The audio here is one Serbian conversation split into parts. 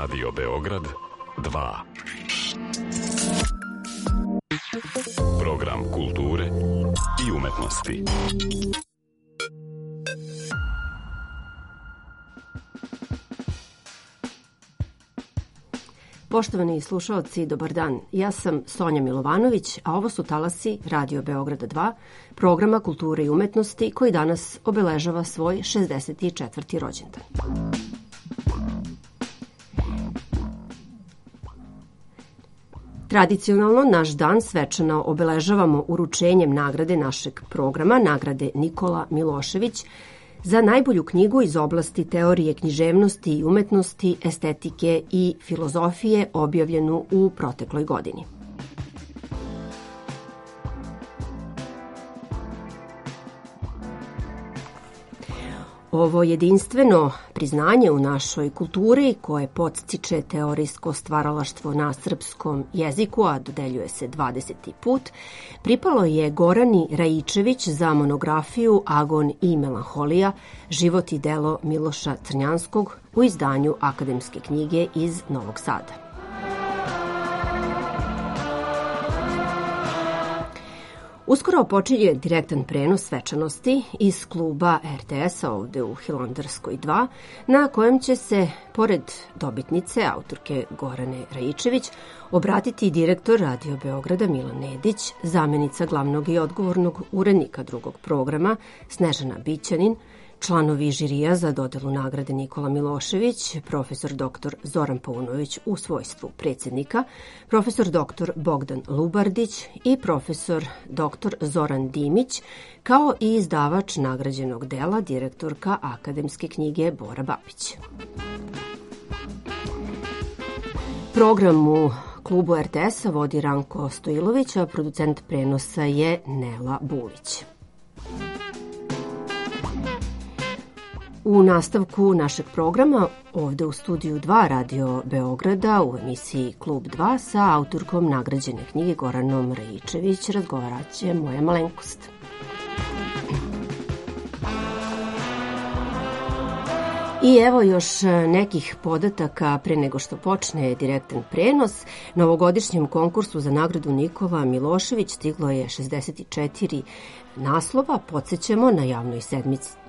Radio Beograd 2. Program kulture i umetnosti. Poštovani slušaoci, dobar dan. Ja sam Sonja Milovanović, a ovo su talasi Radio Beograda 2, programa kulture i umetnosti koji danas obeležava svoj 64. rođendan. Tradicionalno naš dan svečano obeležavamo uručenjem nagrade našeg programa, nagrade Nikola Milošević, za najbolju knjigu iz oblasti teorije književnosti i umetnosti, estetike i filozofije objavljenu u protekloj godini. Ovo jedinstveno priznanje u našoj kulturi, koje podstiče teorijsko stvaralaštvo na srpskom jeziku, a dodeljuje se 20. put, pripalo je Gorani Raičević za monografiju Agon i melanholija, život i delo Miloša Crnjanskog u izdanju Akademske knjige iz Novog Sada. Uskoro počinje direktan prenos svečanosti iz kluba RTS-a ovde u Hilandarskoj 2, na kojem će se, pored dobitnice, autorke Gorane Raičević, obratiti direktor Radio Beograda Milan Nedić, zamenica glavnog i odgovornog urednika drugog programa Snežana Bićanin, članovi žirija za dodelu nagrade Nikola Milošević, profesor dr. Zoran Paunović u svojstvu predsjednika, profesor dr. Bogdan Lubardić i profesor dr. Zoran Dimić, kao i izdavač nagrađenog dela, direktorka Akademske knjige Bora Babić. Program u klubu RTS-a vodi Ranko Stojilović, a producent prenosa je Nela Bulić. U nastavku našeg programa, ovde u studiju 2 Radio Beograda, u emisiji Klub 2, sa autorkom nagrađene knjige Goranom Raičević razgovarat će moja malenkost. I evo još nekih podataka pre nego što počne direktan prenos. Novogodišnjem konkursu za nagradu Nikola Milošević stiglo je 64 naslova. Podsećamo, na javnoj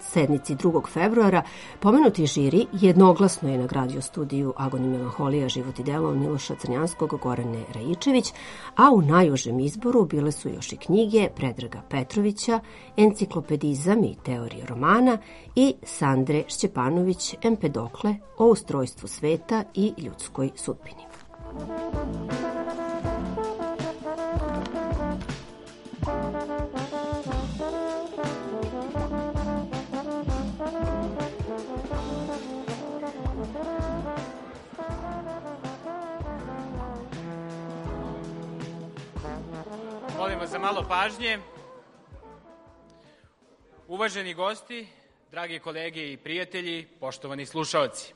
sednici 2. februara pomenuti žiri jednoglasno je nagradio studiju Agon i melanholija, život i delo Miloša Crnjanskog, Gorane Raičević, a u najužem izboru bile su još i knjige Predraga Petrovića, Enciklopedizam i teorija romana i Sandre Šćepanović, Empedokle o ustrojstvu sveta i ljudskoj sudbini. Molim vas za malo pažnje. Uvaženi gosti, dragi kolege i prijatelji, poštovani slušaoci.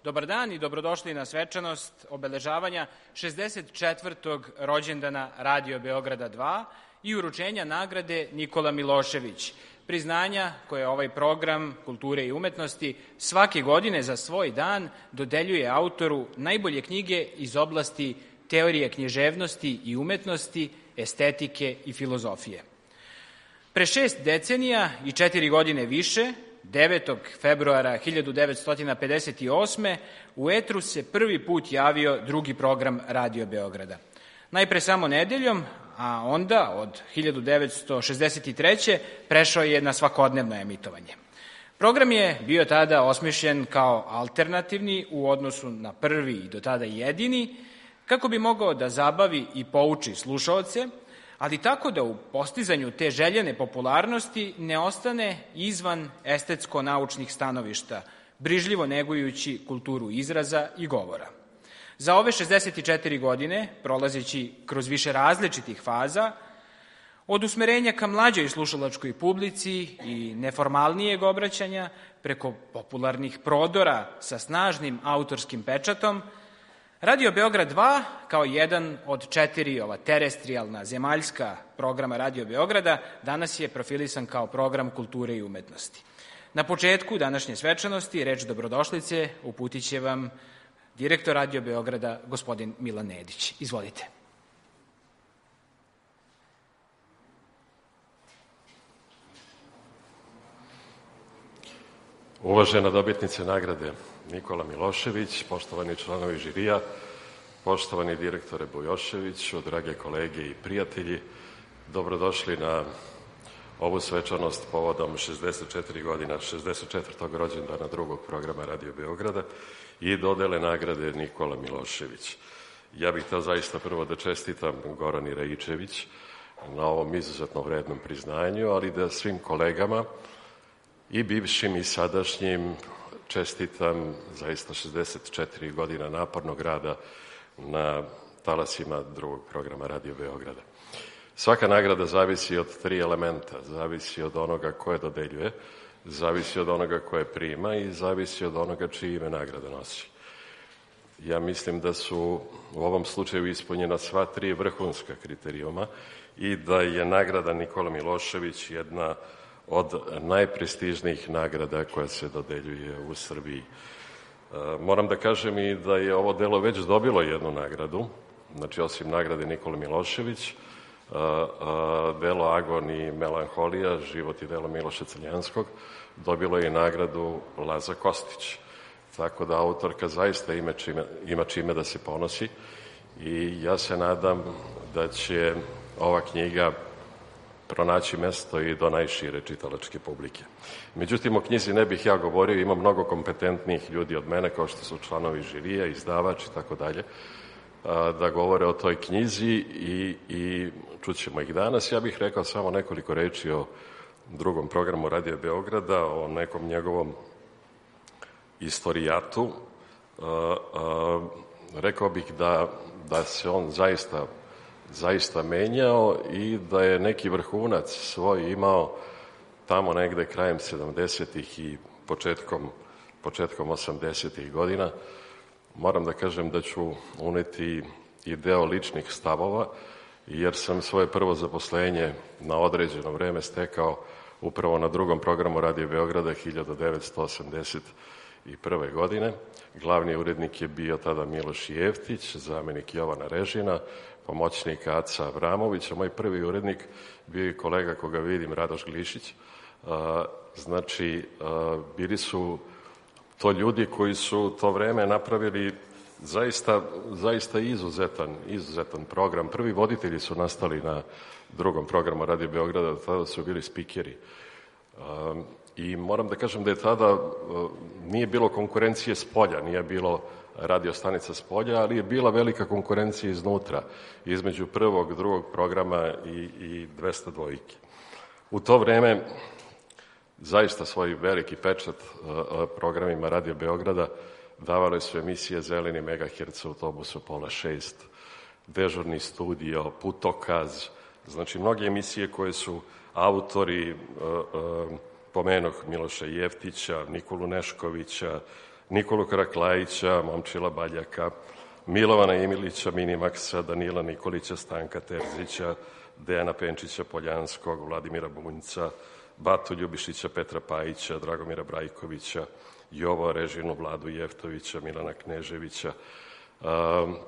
Dobar dan i dobrodošli na svečanost obeležavanja 64. rođendana Radio Beograda 2 i uručenja nagrade Nikola Milošević, priznanja koje ovaj program kulture i umetnosti svake godine za svoj dan dodeljuje autoru najbolje knjige iz oblasti teorije književnosti i umetnosti, estetike i filozofije. Pre 6 decenija i 4 godine više, 9. februara 1958. u etru se prvi put javio drugi program Radio Beograda. Najpre samo nedeljom, a onda od 1963. prešao je na svakodnevno emitovanje. Program je bio tada osmišljen kao alternativni u odnosu na prvi i do tada jedini, kako bi mogao da zabavi i pouči slušaoce, ali tako da u postizanju te željene popularnosti ne ostane izvan estetsko-naučnih stanovišta, brižljivo negujući kulturu izraza i govora. Za ove 64 godine, prolazeći kroz više različitih faza, od usmerenja ka mlađoj slušalačkoj publici i neformalnijeg obraćanja, preko popularnih prodora sa snažnim autorskim pečatom, Radio Beograd 2, kao jedan od 4 terestrijalna zemaljska programa Radio Beograda, danas je profilisan kao program kulture i umetnosti. Na početku današnje svečanosti reč dobrodošlice uputit će vam direktor Radio Beograda, gospodin Milan Nedić. Izvolite. Uvažena dobitnice nagrade Nikola Milošević, poštovani članovi žirija, poštovani direktore Bujoševiću, drage kolege i prijatelji, dobrodošli na ovu svečanost povodom 64 godina, 64. rođendana drugog programa Radio Beograda i dodele nagrade Nikola Milošević. Ja bih hteo zaista prvo da čestitam Gorani Raičević na ovom izuzetno vrednom priznanju, ali da svim kolegama i bivšim i sadašnjim čestitam zaista 64 godina napornog rada na talasima drugog programa Radio Beograda. Svaka nagrada zavisi od 3 elementa. Zavisi od onoga ko je dodeljuje, zavisi od onoga ko je prima i zavisi od onoga čije ime nagrada nosi. Ja mislim da su u ovom slučaju ispunjena sva 3 vrhunska kriterijuma i da je nagrada Nikola Milošević jedna od najprestižnijih nagrada koja se dodeljuje u Srbiji. Moram da kažem i da je ovo delo već dobilo jednu nagradu, znači osim nagrade Nikola Milošević, delo Agon i Melanholija, život i delo Miloša Crnjanskog, dobilo je i nagradu Laza Kostić. Tako da autorka zaista ima čime da se ponosi i ja se nadam da će ova knjiga pronaći mesto i do najšire čitalačke publike. Međutim, o knjizi ne bih ja govorio, ima mnogo kompetentnijih ljudi od mene, kao što su članovi žirija, izdavač i tako dalje, da govore o toj knjizi i čućemo ih danas. Ja bih rekao samo nekoliko reči o drugom programu Radio Beograda, o nekom njegovom istorijatu. Rekao bih da se on zaista menjao i da je neki vrhunac svoj imao tamo negde krajem 70-ih i početkom 80-ih godina. Moram da kažem da ću uneti i deo ličnih stavova, jer sam svoje prvo zaposlenje na određeno vreme stekao upravo na drugom programu Radio Beograda 1981. godine. Glavni urednik je bio tada Miloš Jeftić, zamenik Jovana Režina, pomoćnik Aca Avramovića. Moj prvi urednik bio je kolega koga vidim, Radoš Glišić. Znači, bili su to ljudi koji su to vreme napravili zaista izuzetan program. Prvi voditelji su nastali na drugom programu Radio Beograda, tada su bili spikeri. I moram da kažem da je tada nije bilo konkurencije s polja, nije bilo radio stanica s polja, ali je bila velika konkurencija iznutra, između prvog, drugog programa i 202. U to vreme zaista svoj veliki pečat programima Radio Beograda davale su emisije Zeleni megaherc, Autobus u 5:30, Dežurni studio, Putokaz, znači mnoge emisije koje su autori, pomenuh Miloša Jeftića, Nikolu Neškovića, Nikolu Karaklajića, Momčila Baljaka, Milovana Imilića, Minimaksa, Danila Nikolića, Stanka Terzića, Dejana Penčića Poljanskog, Vladimira Bunjca, Batu Ljubišića, Petra Pajića, Dragomira Brajkovića, Jovo Režinu, Vladu Jeftovića, Milana Kneževića,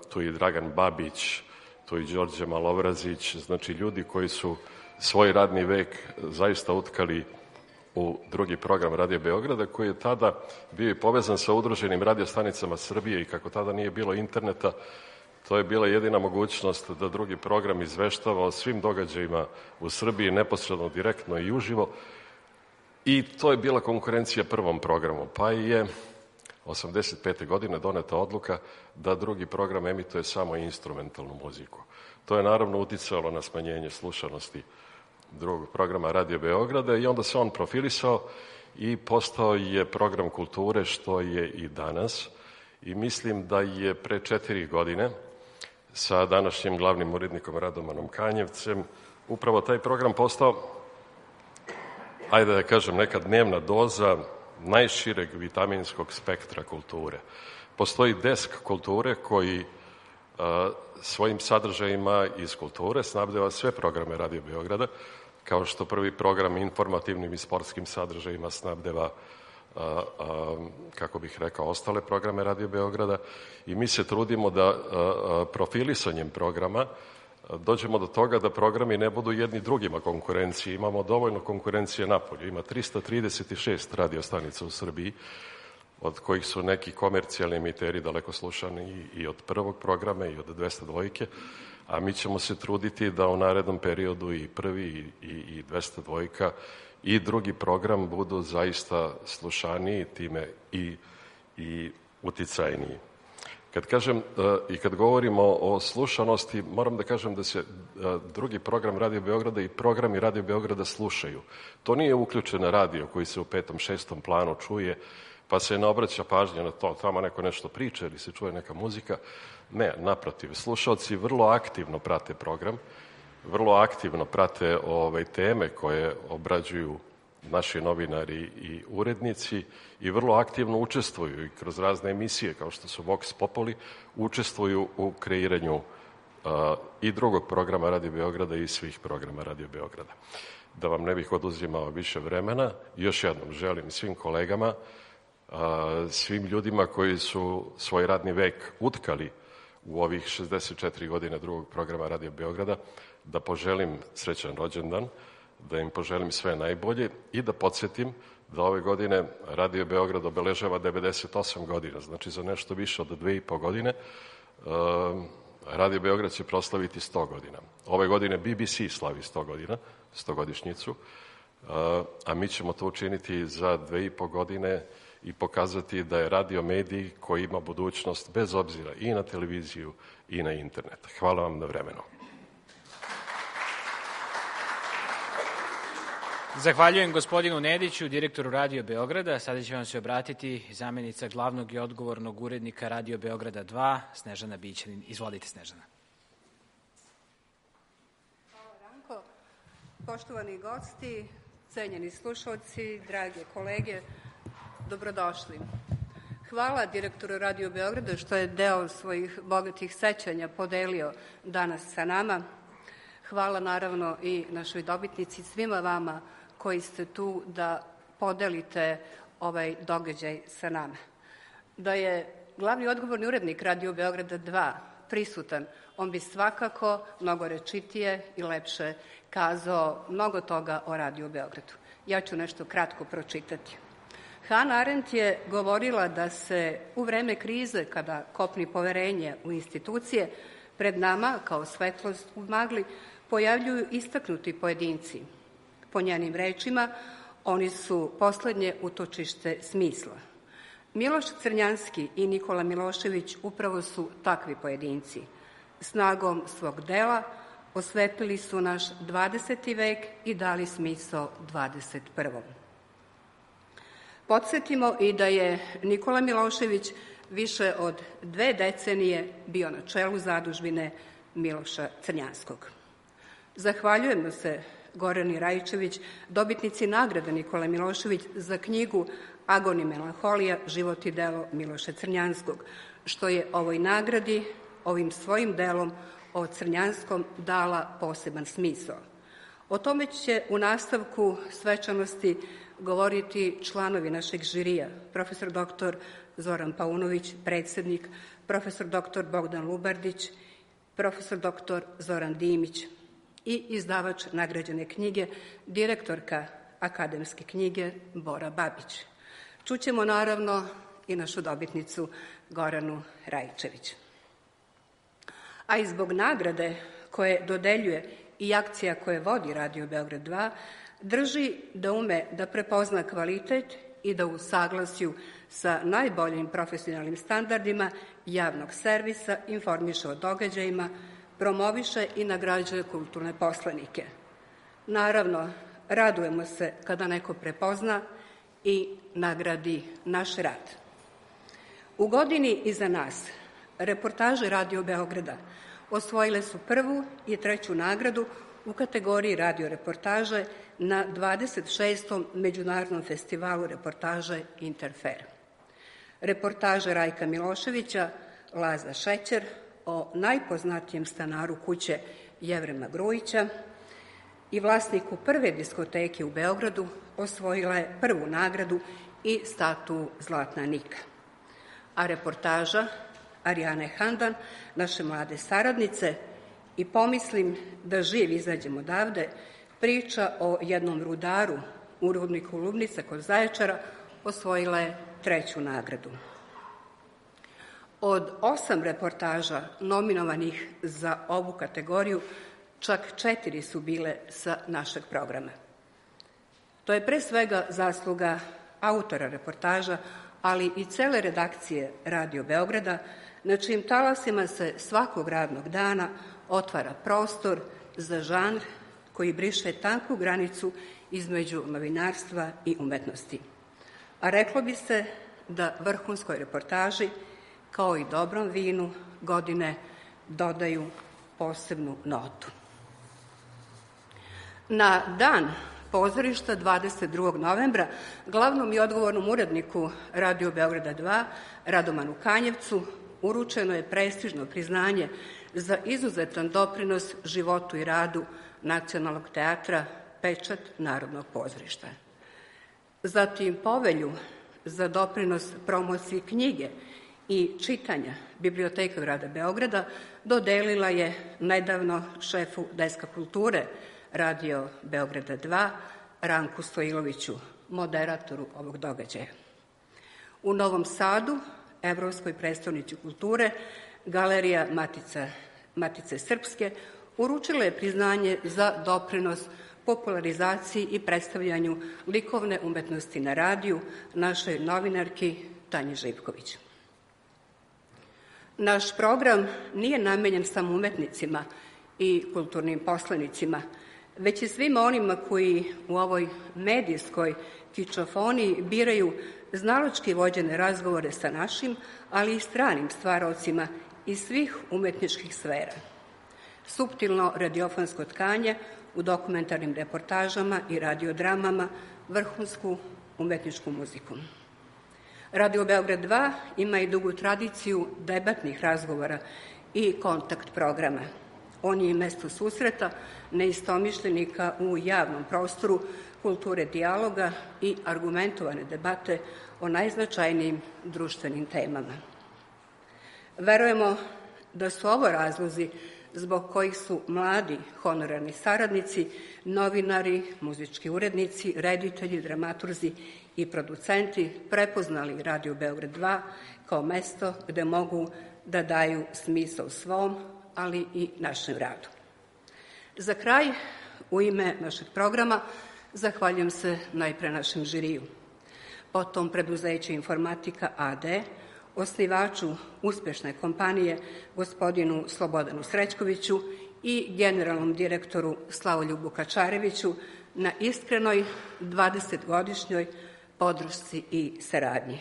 tu i Dragan Babić, tu i Đorđe Malobrazić, znači ljudi koji su svoj radni vek zaista utkali u drugi program Radio Beograda, koji je tada bio i povezan sa udruženim radiostanicama Srbije i kako tada nije bilo interneta, to je bila jedina mogućnost da drugi program izveštava o svim događajima u Srbiji neposredno, direktno i uživo. I to je bila konkurencija prvom programu. Pa je 85. godine doneta odluka da drugi program emituje samo instrumentalnu muziku. To je naravno uticalo na smanjenje slušanosti drugog programa Radio Beograda i onda se on profilisao i postao je program kulture, što je i danas. I mislim da je pre 4 godine sa današnjim glavnim urednikom Radomanom Kanjevcem upravo taj program postao, ajde da kažem, neka dnevna doza najšireg vitaminskog spektra kulture. Postoji desk kulture koji svojim sadržajima iz kulture snabdeva sve programe Radio Beograda, kao što prvi program informativnim i sportskim sadržajima snabdeva kako bih rekao, ostale programe Radio Beograda i mi se trudimo da profilisanjem programa dođemo do toga da programi ne budu jedni drugima konkurencije. Imamo dovoljno konkurencije napolju. Ima 336 radio stanica u Srbiji, od kojih su neki komercijalni emiteri daleko slušani i od prvog programa i od 202, a mi ćemo se truditi da u narednom periodu i prvi i 202 i drugi program budu zaista slušaniji, time i uticajniji. Kad kažem i kad govorimo o slušanosti, moram da kažem da se drugi program Radio Beograda i programi Radio Beograda slušaju. To nije uključen radio koji se u 5., 6. planu čuje, pa se ne obraća pažnja na to, tamo neko nešto priča ili se čuje neka muzika. Ne, naprotiv, slušalci vrlo aktivno prate program, vrlo aktivno prate teme koje obrađuju naši novinari i urednici i vrlo aktivno učestvuju i kroz razne emisije kao što su Vox Populi, učestvuju u kreiranju i drugog programa Radio Beograda i svih programa Radio Beograda. Da vam ne bih oduzimao više vremena, još jednom želim svim kolegama, svim ljudima koji su svoj radni vek utkali u ovih 64 godine drugog programa Radio Beograda, da poželim srećan rođendan, da im poželim sve najbolje i da podsjetim da ove godine Radio Beograd obeležava 98 godina, znači za nešto više od 2,5 godine Radio Beograd će proslaviti 100 godina. Ove godine BBC slavi 100 godina, 100-godišnjicu, a mi ćemo to učiniti za 2,5 godine i pokazati da je radio medij koji ima budućnost bez obzira i na televiziju i na internet. Hvala vam na vremenu. Zahvaljujem gospodinu Nediću, direktoru Radio Beograda. Sada će vam se obratiti zamenica glavnog i odgovornog urednika Radio Beograda 2, Snežana Bićanin. Izvolite, Snežana. Hvala, Ranko. Poštovani gosti, cenjeni slušalci, drage kolege, dobrodošli. Hvala direktoru Radio Beograda što je deo svojih bogatih sećanja podelio danas sa nama. Hvala naravno i našoj dobitnici, svima vama koji ste tu da podelite ovaj događaj sa nama. Da je glavni odgovorni urednik Radio Beograda 2 prisutan, on bi svakako mnogo rečitije i lepše kazao mnogo toga o Radio Beogradu. Ja ću nešto kratko pročitati. Hannah Arendt je govorila da se u vreme krize, kada kopni poverenje u institucije, pred nama, kao svetlost u magli, pojavljuju istaknuti pojedinci. Po njenim rečima, oni su poslednje utočište smisla. Miloš Crnjanski i Nikola Milošević upravo su takvi pojedinci. Snagom svog dela osvetlili su naš 20. vek i dali smisao 21. Podsjetimo i da je Nikola Milošević više od 2 decenije bio na čelu zadužbine Miloša Crnjanskog. Zahvaljujemo se Gorani Rajčević, dobitnici nagrade Nikola Milošević za knjigu Agon i melanholija, život i delo Miloša Crnjanskog, što je ovoj nagradi, ovim svojim delom o Crnjanskom dala poseban smisao. O tome će u nastavku svečanosti govoriti članovi našeg žirija, profesor dr. Zoran Paunović, predsednik, profesor dr. Bogdan Lubardić, profesor dr. Zoran Dimić i izdavač nagrađene knjige, direktorka akademske knjige Bora Babić. Čućemo naravno i našu dobitnicu Goranu Rajčević. A i zbog nagrade koje dodeljuje i akcija koje vodi Radio Beograd 2, drži da ume da prepozna kvalitet i da u saglasju sa najboljim profesionalnim standardima javnog servisa informiše o događajima, promoviše i nagrađuje kulturne poslanike. Naravno, radujemo se kada neko prepozna i nagradi naš rad. U godini iza nas reportaže Radio Beograda osvojile su 1. i 3. nagradu u kategoriji radio reportaže na 26. Međunarodnom festivalu reportaže Interfer. Reportaže Rajka Miloševića, Laza Šećer, o najpoznatijem stanaru kuće Jevrema Grujića i vlasniku prve diskoteke u Beogradu osvojila je 1. nagradu i statu Zlatna Nika. A reportaža Arijane Handan, naše mlade saradnice, i pomislim da živ izađem odavde, priča o jednom rudaru u rudniku Lubnica kod Zaječara, osvojila je 3. nagradu. Od 8 reportaža nominovanih za ovu kategoriju, čak 4 su bile sa našeg programa. To je pre svega zasluga autora reportaža, ali i cele redakcije Radio Beograda, na čijim talasima se svakog radnog dana otvara prostor za žanr koji briše tanku granicu između novinarstva i umetnosti. A reklo bi se da vrhunskoj reportaži, kao i dobrom vinu, godine dodaju posebnu notu. Na dan pozorišta 22. novembra glavnom i odgovornom uredniku Radio Beograda 2, Radomanu Kanjevcu, uručeno je prestižno priznanje za izuzetan doprinos životu i radu Nacionalnog teatra Pečat Narodnog pozorišta. Zatim povelju za doprinos promociji knjige i čitanja Biblioteka grada Beograda dodelila je nedavno šefu Deska kulture Radio Beograda 2, Ranku Stojiloviću, moderatoru ovog događaja. U Novom Sadu, Evropskoj prestonici kulture, Galerija Matice Srpske uručila je priznanje za doprinos popularizaciji i predstavljanju likovne umetnosti na radiju našoj novinarki Tanji Živković. Naš program nije namenjen samo umetnicima i kulturnim poslenicima, već i svima onima koji u ovoj medijskoj kičofoniji biraju znalački vođene razgovore sa našim, ali i stranim stvaraocima iz svih umetničkih sfera. Suptilno radiofonsko tkanje u dokumentarnim reportažama i radiodramama, vrhunsku umetničku muziku. Radio Beograd 2 ima i dugu tradiciju debatnih razgovora i kontakt programa. On je i mesto susreta neistomišljenika u javnom prostoru, kulture dijaloga i argumentovane debate o najznačajnijim društvenim temama. Verujemo da su ovo razlozi zbog kojih su mladi honorarni saradnici, novinari, muzički urednici, reditelji, dramaturzi i producenti prepoznali Radio Beograd 2 kao mesto gde mogu da daju smisao svom, ali i našem radu. Za kraj, u ime našeg programa, zahvaljujem se najpre našem žiriju, potom preduzeću Informatika AD, osnivaču uspešne kompanije gospodinu Slobodanu Srećkoviću i generalnom direktoru Slavoljubu Kačareviću na iskrenoj 20-godišnjoj podršci i saradnji.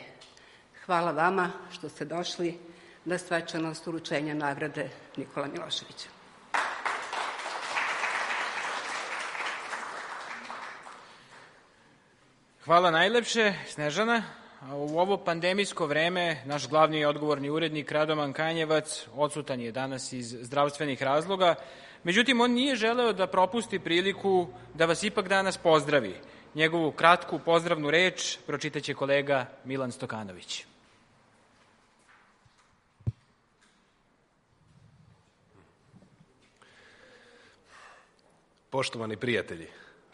Hvala vama što ste došli na svečanost uručenja nagrade Nikola Miloševića. Hvala najlepše, Snežana. U ovo pandemijsko vreme naš glavni i odgovorni urednik Radoman Kanjevac odsutan je danas iz zdravstvenih razloga. Međutim, on nije želeo da propusti priliku da vas ipak danas pozdravi. Njegovu kratku pozdravnu reč pročitaće kolega Milan Stokanović. Poštovani prijatelji,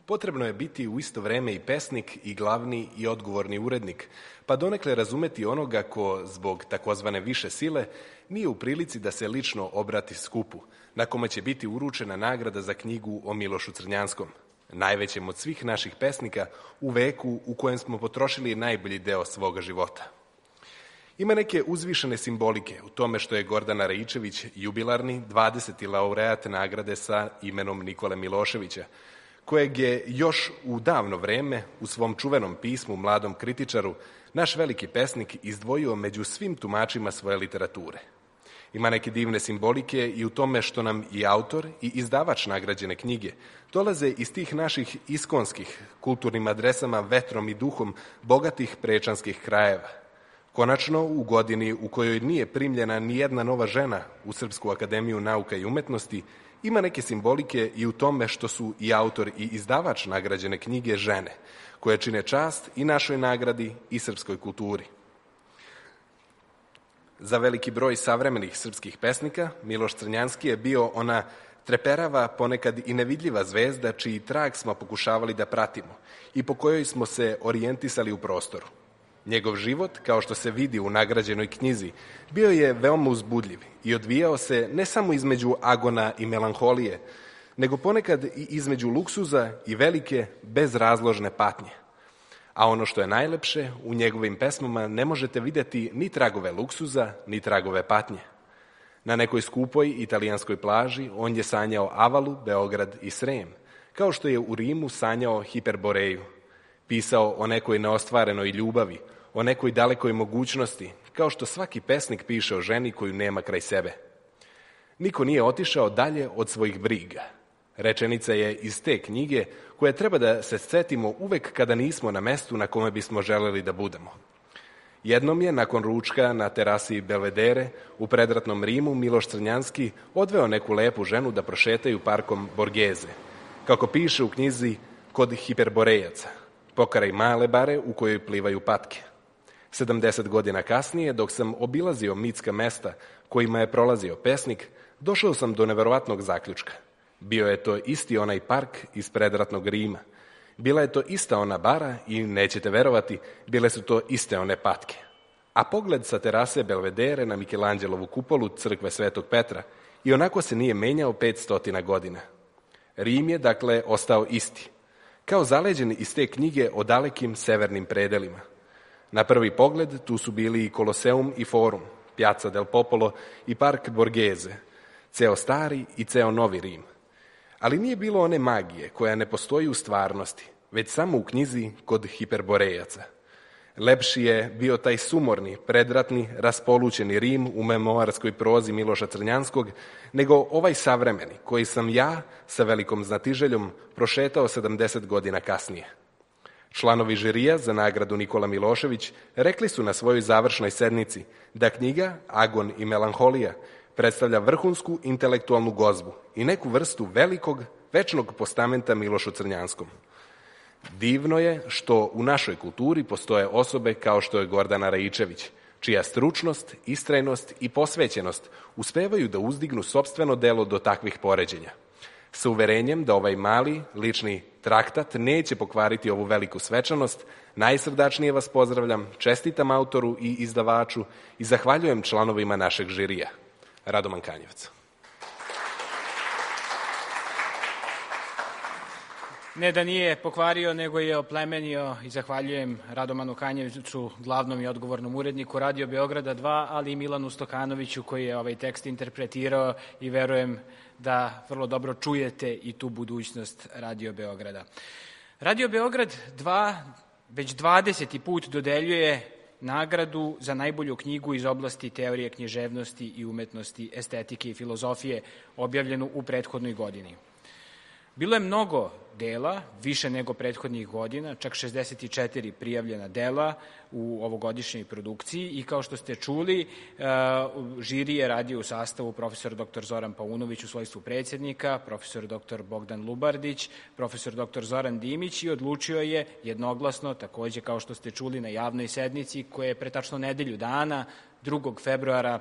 potrebno je biti u isto vreme i pesnik i glavni i odgovorni urednik, pa donekle razumeti onoga ko zbog takozvane više sile nije u prilici da se lično obrati skupu, na kome će biti uručena nagrada za knjigu o Milošu Crnjanskom, najvećem od svih naših pesnika u veku u kojem smo potrošili najbolji deo svoga života. Ima neke uzvišene simbolike u tome što je Gordana Raičević jubilarni 20. laureat nagrade sa imenom Nikole Miloševića, kojeg je još u davno vreme u svom čuvenom pismu Mladom kritičaru naš veliki pesnik izdvojio među svim tumačima svoje literature. Ima neke divne simbolike i u tome što nam i autor i izdavač nagrađene knjige dolaze iz tih naših iskonskih kulturnim adresama vetrom i duhom bogatih prečanskih krajeva. Konačno, u godini u kojoj nije primljena ni jedna nova žena u Srpsku akademiju nauka i umetnosti Ima neke simbolike i u tome što su i autor i izdavač nagrađene knjige žene, koje čine čast i našoj nagradi i srpskoj kulturi. Za veliki broj savremenih srpskih pesnika Miloš Crnjanski je bio ona treperava, ponekad i nevidljiva zvezda čiji trag smo pokušavali da pratimo i po kojoj smo se orijentisali u prostoru. Njegov život, kao što se vidi u nagrađenoj knjizi, bio je veoma uzbudljiv i odvijao se ne samo između agona i melanholije, nego ponekad i između luksuza i velike, bezrazložne patnje. A ono što je najlepše, u njegovim pesmama ne možete vidjeti ni tragove luksuza, ni tragove patnje. Na nekoj skupoj italijanskoj plaži on je sanjao Avalu, Beograd i Srem, kao što je u Rimu sanjao Hiperboreju. Pisao o nekoj neostvarenoj ljubavi, o nekoj dalekoj mogućnosti, kao što svaki pesnik piše o ženi koju nema kraj sebe. Niko nije otišao dalje od svojih briga. Rečenica je iz te knjige koje treba da se setimo uvek kada nismo na mestu na kome bismo želeli da budemo. Jednom je, nakon ručka na terasi Belvedere, u predratnom Rimu, Miloš Crnjanski odveo neku lepu ženu da prošetaju parkom Borgeze, kako piše u knjizi Kod Hiperborejaca, Pokaraj male bare u kojoj plivaju patke. 70 godina kasnije, dok sam obilazio mitska mesta kojima je prolazio pesnik, došao sam do neverovatnog zaključka. Bio je to isti onaj park iz predratnog Rima. Bila je to ista ona bara i, nećete verovati, bile su to iste one patke. A pogled sa terase Belvedere na Mikelanđelovu kupolu crkve Svetog Petra i onako se nije menjao 500 godina. Rim je, dakle, ostao isti, kao zaleđen iz te knjige o dalekim severnim predelima. Na prvi pogled tu su bili i Koloseum i Forum, Piazza del Popolo i Park Borghese, ceo stari i ceo novi Rim. Ali nije bilo one magije koja ne postoji u stvarnosti, već samo u knjizi Kod Hiperborejaca. Lepši je bio taj sumorni, predratni, raspolućeni Rim u memoarskoj prozi Miloša Crnjanskog, nego ovaj savremeni, koji sam ja, sa velikom znatiželjom, prošetao 70 godina kasnije. Članovi žirija za nagradu Nikola Milošević rekli su na svojoj završnoj sednici da knjiga Agon i melanholija predstavlja vrhunsku intelektualnu gozbu i neku vrstu velikog, večnog postamenta Milošu Crnjanskom. Divno je što u našoj kulturi postoje osobe kao što je Gordana Raičević, čija stručnost, istrajnost i posvećenost uspevaju da uzdignu sopstveno delo do takvih poređenja. Sa uverenjem da ovaj mali, lični traktat neće pokvariti ovu veliku svečanost, najsrdačnije vas pozdravljam, čestitam autoru i izdavaču i zahvaljujem članovima našeg žirija. Radoman Kanjevac. Ne da nije pokvario, nego je oplemenio i zahvaljujem Radomanu Kanjevcu, glavnom i odgovornom uredniku Radio Beograda 2, ali i Milanu Stokanoviću koji je ovaj tekst interpretirao i verujem da vrlo dobro čujete i tu budućnost Radio Beograda. Radio Beograd 2 već 20. put dodeljuje nagradu za najbolju knjigu iz oblasti teorije književnosti i umetnosti, estetike i filozofije, objavljenu u prethodnoj godini. Bilo je mnogo dela, više nego prethodnih godina, čak 64 prijavljena dela u ovogodišnjoj produkciji i kao što ste čuli, žiri je radio u sastavu profesor dr. Zoran Paunović u svojstvu predsjednika, profesor dr. Bogdan Lubardić, profesor dr. Zoran Dimić i odlučio je jednoglasno, takođe kao što ste čuli na javnoj sednici koja je pre tačno nedelju dana, 2. februara,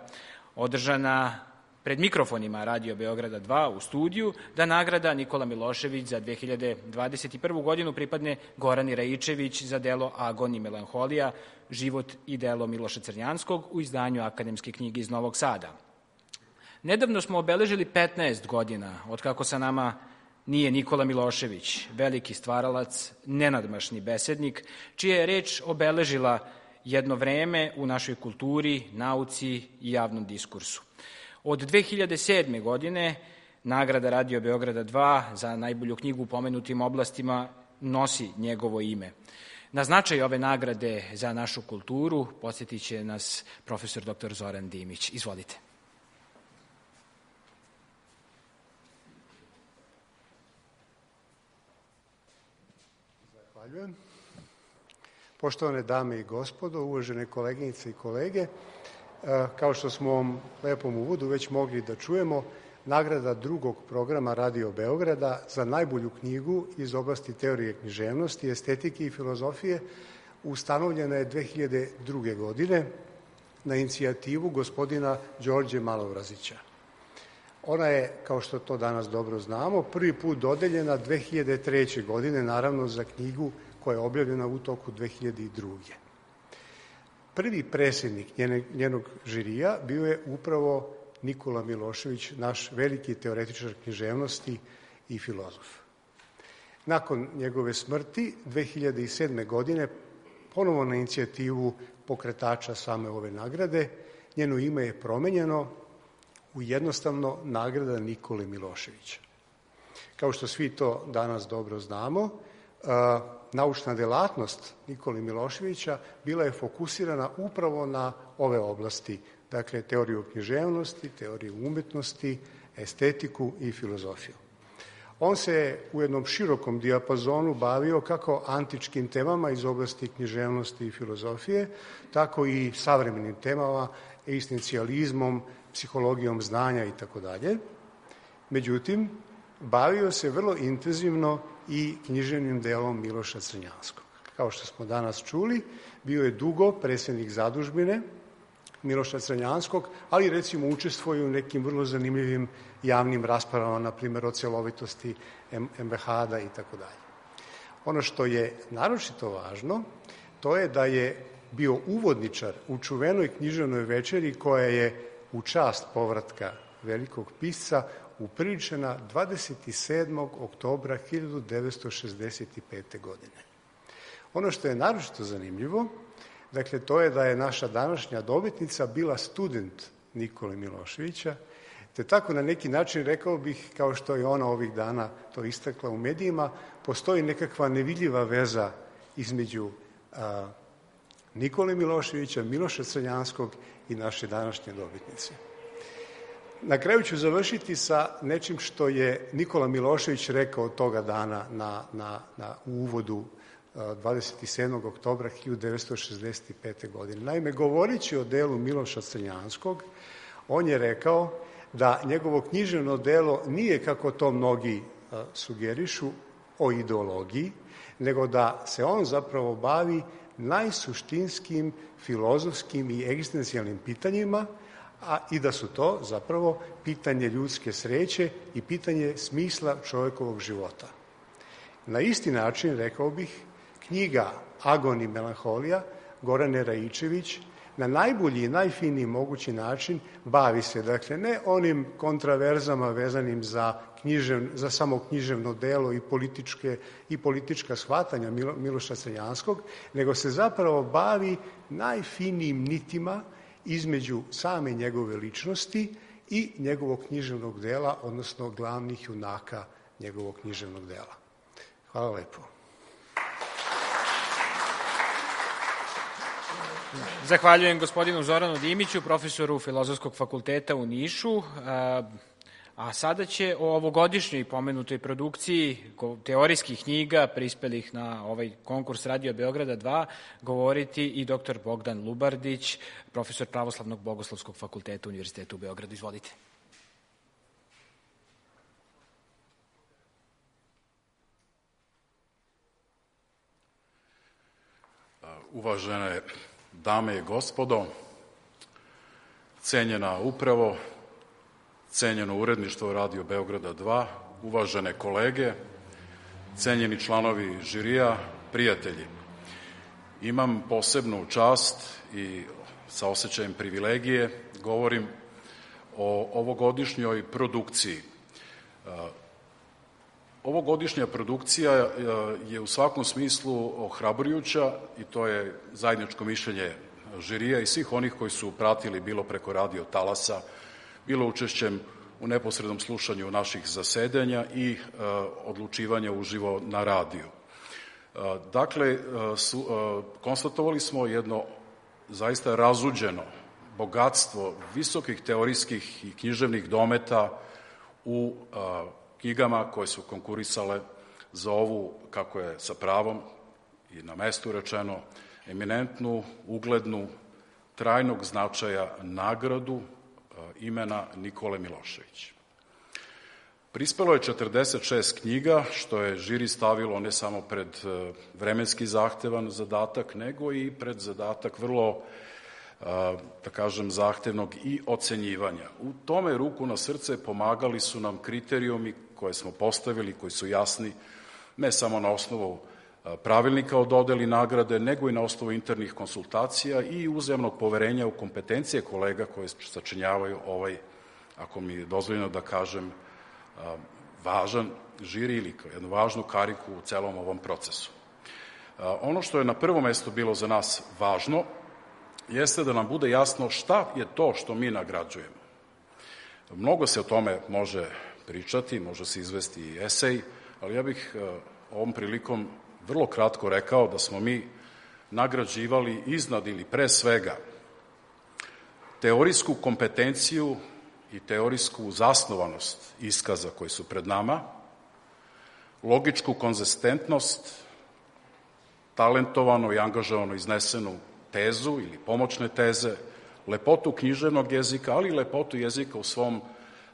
održana pred mikrofonima Radio Beograda 2 u studiju, da nagrada Nikola Milošević za 2021. godinu pripadne Gorani Raičević za delo Agon i melanholija, život i delo Miloša Crnjanskog u izdanju Akademske knjige iz Novog Sada. Nedavno smo obeležili 15 godina od kako sa nama nije Nikola Milošević, veliki stvaralac, nenadmašni besednik, čija je reč obeležila jedno vreme u našoj kulturi, nauci i javnom diskursu. Od 2007. godine nagrada Radio Beograda 2 za najbolju knjigu u pomenutim oblastima nosi njegovo ime. Na značaj ove nagrade za našu kulturu podsjetit će nas profesor dr. Zoran Dimić. Izvolite. Zahvaljujem. Poštovane dame i gospodo, uvažene koleginice i kolege, kao što smo u lepom uvodu već mogli da čujemo, nagrada drugog programa Radio Beograda za najbolju knjigu iz oblasti teorije književnosti, estetike i filozofije ustanovljena je 2002. godine na inicijativu gospodina Đorđe Malobrazića. Ona je, kao što to danas dobro znamo, prvi put dodeljena 2003. godine, naravno za knjigu koja je objavljena u toku 2002. Prvi predsjednik njenog žirija bio je upravo Nikola Milošević, naš veliki teoretičar književnosti i filozof. Nakon njegove smrti, 2007. godine, ponovo na inicijativu pokretača same ove nagrade, njeno ime je promenjeno u jednostavno nagrada Nikole Miloševića. Kao što svi to danas dobro znamo, naučna delatnost Nikole Miloševića bila je fokusirana upravo na ove oblasti, dakle teoriju književnosti, teoriju umetnosti, estetiku i filozofiju. On se u jednom širokom dijapazonu bavio kako antičkim temama iz oblasti književnosti i filozofije, tako i savremenim temama, egzistencijalizmom, psihologijom znanja itd. Međutim, bavio se vrlo intenzivno i književnim delom Miloša Crnjanskog. Kao što smo danas čuli, bio je dugo predsjednik zadužbine Miloša Crnjanskog, ali recimo učestvuje u nekim vrlo zanimljivim javnim raspravama, na primjer o celovitosti MBH-a i tako dalje. Ono što je naročito važno, to je da je bio uvodničar u čuvenoj književnoj večeri koja je u čast povratka velikog pisca upriličena 27. oktobra 1965. godine. Ono što je naročito zanimljivo, dakle, to je da je naša današnja dobitnica bila student Nikole Miloševića, te tako na neki način, rekao bih, kao što je ona ovih dana to istakla u medijima, postoji nekakva nevidljiva veza između Nikole Miloševića, Miloša Crnjanskog i naše današnje dobitnice. Na kraju ću završiti sa nečim što je Nikola Milošević rekao toga dana u uvodu 27. oktobra 1965. godine. Naime, govoreći o delu Miloša Crnjanskog, on je rekao da njegovo književno delo nije, kako to mnogi sugerišu, o ideologiji, nego da se on zapravo bavi najsuštinskim filozofskim i egzistencijalnim pitanjima, i da su to zapravo pitanje ljudske sreće i pitanje smisla čovjekovog života. Na isti način, rekao bih, knjiga Agon i melanholija Gorane Raičević na najbolji i najfiniji mogući način bavi se, dakle, ne onim kontraverzama vezanim za samo književno delo i politička shvatanja Miloša Crnjanskog, nego se zapravo bavi najfinijim nitima između same njegove ličnosti i njegovog književnog dela, odnosno glavnih junaka njegovog književnog dela. Hvala lepo. Zahvaljujem gospodinu Zoranu Dimiću, profesoru Filozofskog fakulteta u Nišu. A sada će o ovogodišnjoj pomenutoj produkciji teorijskih knjiga prispelih na ovaj konkurs Radio Beograda 2 govoriti i dr. Bogdan Lubardić, profesor Pravoslavnog bogoslovskog fakulteta Univerziteta u Beogradu. Izvolite. Uvažene dame i gospodo, cenjena upravo, cenjeno uredništvo Radio Beograda 2, uvažene kolege, cenjeni članovi žirija, prijatelji. Imam posebnu čast i sa osjećajem privilegije govorim o ovogodišnjoj produkciji. Ovogodišnja produkcija je u svakom smislu ohrabrujuća i to je zajedničko mišljenje žirija i svih onih koji su pratili bilo preko radio talasa, bilo učešćem u neposrednom slušanju naših zasedanja i odlučivanja uživo na radiju. Dakle, konstatovali smo jedno zaista razuđeno bogatstvo visokih teorijskih i književnih dometa u knjigama koje su konkurisale za ovu, kako je sa pravom i na mestu rečeno, eminentnu, uglednu, trajnog značaja nagradu imena Nikole Milošević. Prispelo je 46 knjiga, što je žiri stavilo ne samo pred vremenski zahtevan zadatak, nego i pred zadatak vrlo, da kažem, zahtevnog i ocenjivanja. U tome, ruku na srce, pomagali su nam kriterijumi koje smo postavili, koji su jasni ne samo na osnovu pravilnika o dodeli nagrade, nego i na osnovu internih konsultacija i uzajamnog poverenja u kompetencije kolega koje sačinjavaju ovaj, ako mi je dozvoljeno da kažem, važan žiri ili jednu važnu kariku u celom ovom procesu. Ono što je na prvom mestu bilo za nas važno jeste da nam bude jasno šta je to što mi nagrađujemo. Mnogo se o tome može pričati, može se izvesti i esej, ali ja bih ovom prilikom vrlo kratko rekao da smo mi nagrađivali iznad ili pre svega teorijsku kompetenciju i teorijsku zasnovanost iskaza koji su pred nama, logičku konzistentnost, talentovano i angažovano iznesenu tezu ili pomoćne teze, lepotu književnog jezika, ali i lepotu jezika u svom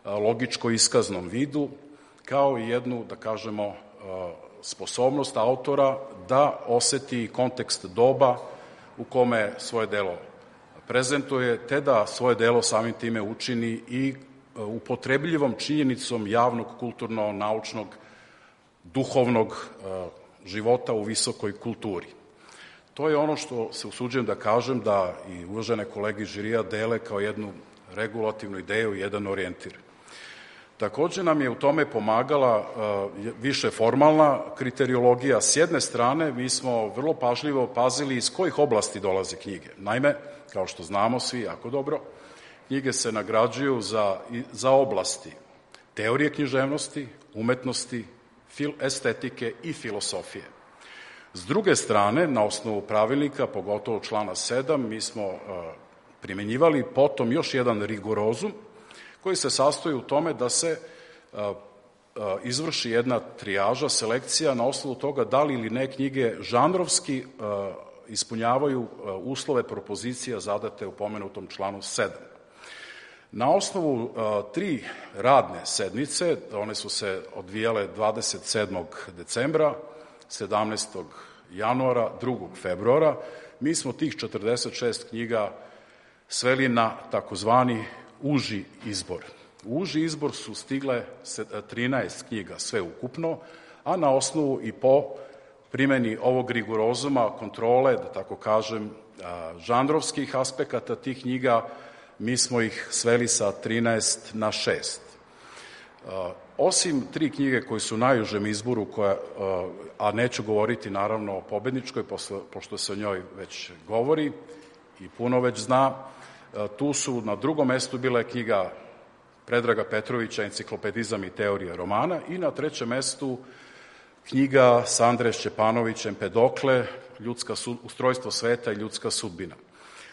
logičko-iskaznom vidu, kao i jednu, da kažemo, sposobnost autora da oseti kontekst doba u kome svoje delo prezentuje, te da svoje delo samim time učini i upotrebljivom činjenicom javnog, kulturno-naučnog, duhovnog života u visokoj kulturi. To je ono što se usuđujem da kažem da i uvažene kolege iz žirija dele kao jednu regulativnu ideju i jedan orijentir. Takođe nam je u tome pomagala više formalna kriteriologija. S jedne strane, mi smo vrlo pažljivo pazili iz kojih oblasti dolaze knjige. Naime, kao što znamo svi jako dobro, knjige se nagrađuju za oblasti teorije književnosti, umetnosti, estetike i filosofije. S druge strane, na osnovu pravilnika, pogotovo člana 7, mi smo primenjivali potom još jedan rigorozum koji se sastoji u tome da se izvrši jedna trijaža, selekcija na osnovu toga da li ili ne knjige žanrovski ispunjavaju uslove propozicija zadate u pomenutom članu 7. Na osnovu 3 radne sednice, one su se odvijale 27. decembra, 17. januara, 2. februara, mi smo tih 46 knjiga sveli na takozvani uži izbor. U uži izbor su stigle 13 knjiga sve ukupno, a na osnovu i po primeni ovog rigorozuma, kontrole, da tako kažem, žanrovskih aspekata tih knjiga, mi smo ih sveli sa 13 na 6. Osim 3 knjige koje su u najužem izboru, a neću govoriti naravno o pobedničkoj, pošto se o njoj već govori i puno već zna, tu su na drugom mestu bile knjiga Predraga Petrovića Enciklopedizam i teorija romana i na trećem mestu knjiga Sandre Šćepanović Empedokle Ustrojstvo sveta i ljudska sudbina.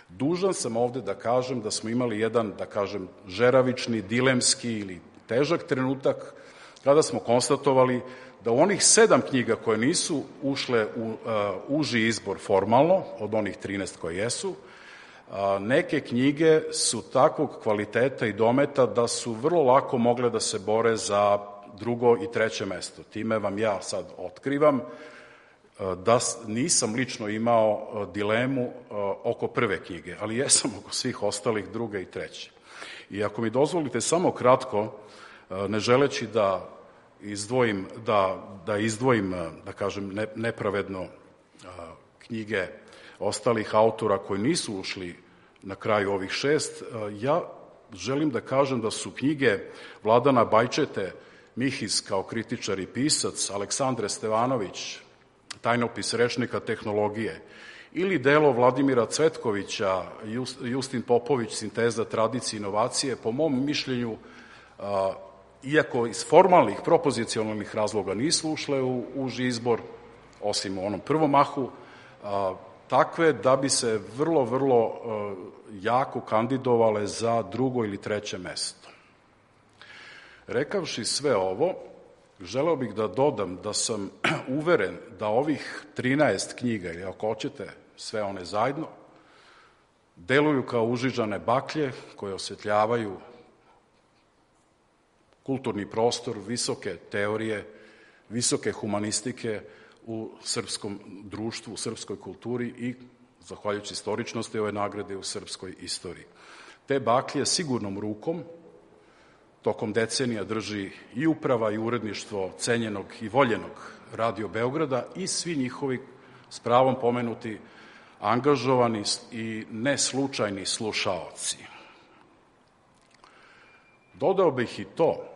Dužan sam ovde da kažem da smo imali jedan, da kažem, žeravični, dilemski ili težak trenutak kada smo konstatovali da u onih 7 knjiga koje nisu ušle u uži izbor formalno, od onih 13 koje jesu, neke knjige su takvog kvaliteta i dometa da su vrlo lako mogle da se bore za drugo i treće mesto. Time vam ja sad otkrivam da nisam lično imao dilemu oko prve knjige, ali jesam oko svih ostalih druge i treće. I ako mi dozvolite samo kratko, ne želeći da izdvojim, da kažem, nepravedno knjige ostalih autora koji nisu ušli na kraju ovih 6, ja želim da kažem da su knjige Vladana Bajčete, Mihis kao kritičar i pisac, Aleksandre Stevanović, Tajnopis rečnika tehnologije, ili delo Vladimira Cvetkovića, Justin Popović, Sinteza tradicije i inovacije, po mom mišljenju, iako iz formalnih, propozicionalnih razloga nisu ušle u uži izbor, osim u onom prvom mahu, takve da bi se vrlo, vrlo jako kandidovale za drugo ili treće mesto. Rekavši sve ovo, želeo bih da dodam da sam uveren da ovih 13 knjiga, ili ako hoćete sve one zajedno, deluju kao užižane baklje koje osvetljavaju kulturni prostor, visoke teorije, visoke humanistike u srpskom društvu, u srpskoj kulturi i, zahvaljujući istoričnosti ove nagrade, u srpskoj istoriji. Te baklje sigurnom rukom tokom decenija drži i uprava i uredništvo cenjenog i voljenog Radio Beograda i svi njihovi, s pravom pomenuti, angažovani i neslučajni slušaoci. Dodao bih i to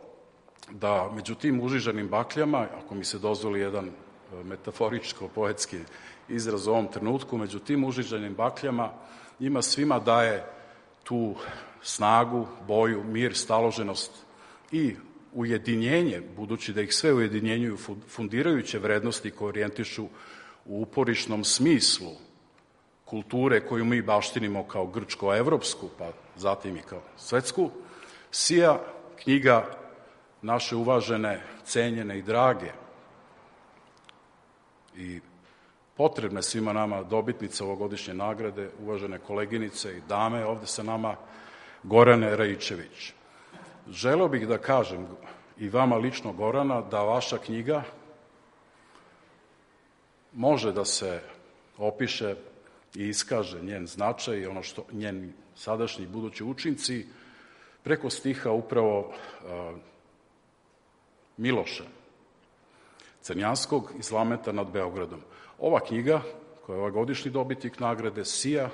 da među tim užižanim bakljama, ako mi se dozvoli jedan metaforičko-poetski izraz u ovom trenutku, među tim užižanim bakljama njima svima daje tu snagu, boju, mir, staloženost i ujedinjenje, budući da ih sve ujedinjenjuju fundirajuće vrednosti koje orijentišu u uporišnom smislu kulture koju mi baštinimo kao grčko-evropsku, pa zatim i kao svetsku, sija knjiga naše uvažene, cenjene i drage i potrebne svima nama dobitnice ovogodišnje nagrade, uvažene koleginice i dame ovde sa nama, Gorane Raičević. Želeo bih da kažem i vama lično, Gorana, da vaša knjiga može da se opiše i iskaže njen značaj i ono što njeni sadašnji i budući učinci preko stiha upravo Miloša Crnjanskog iz Lameta nad Beogradom. Ova knjiga, koja je ovogodišnji dobitnik nagrade, sija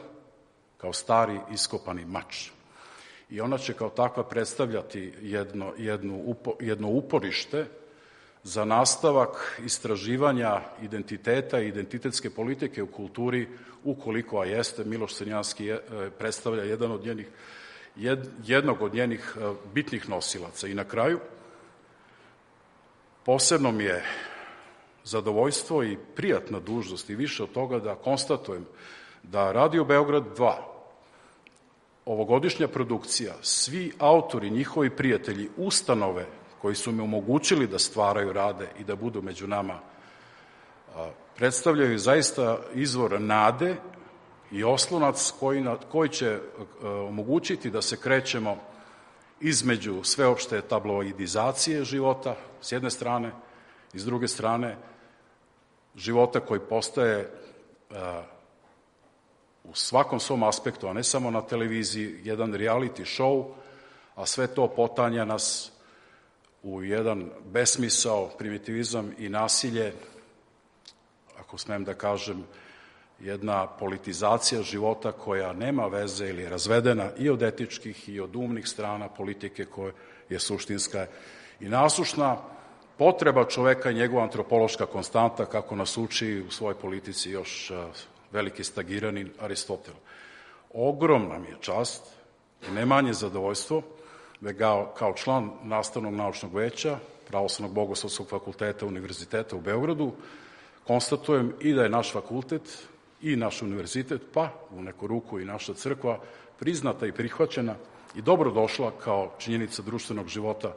kao stari iskopani mač. I ona će kao takva predstavljati jedno uporište za nastavak istraživanja identiteta i identitetske politike u kulturi, ukoliko, a jeste, Miloš Crnjanski predstavlja jednog od njenih bitnih nosilaca. I na kraju, posebno mi je zadovoljstvo i prijatna dužnost i više od toga da konstatujem da Radio Beograd 2, ovogodišnja produkcija, svi autori, njihovi prijatelji, ustanove koji su mi omogućili da stvaraju, rade i da budu među nama, predstavljaju zaista izvor nade i oslonac koji će omogućiti da se krećemo između sveopšte tabloidizacije života, s jedne strane, i s druge strane, života koji postaje u svakom svom aspektu, a ne samo na televiziji, jedan reality show, a sve to potanja nas u jedan besmisao, primitivizam i nasilje, ako smem da kažem, jedna politizacija života koja nema veze ili je razvedena i od etičkih i od umnih strana politike koja je suštinska i nasušna potreba čoveka i njegova antropološka konstanta, kako nas uči u svojoj politici još veliki Stagiranin Aristotel. Ogromna mi je čast i ne manje zadovoljstvo da kao član Nastavnog naučnog veća Pravoslavnog bogoslovskog fakulteta Univerziteta u Beogradu konstatujem i da je naš fakultet i naš univerzitet, pa u neku ruku i naša crkva, priznata i prihvaćena i dobrodošla kao činjenica društvenog života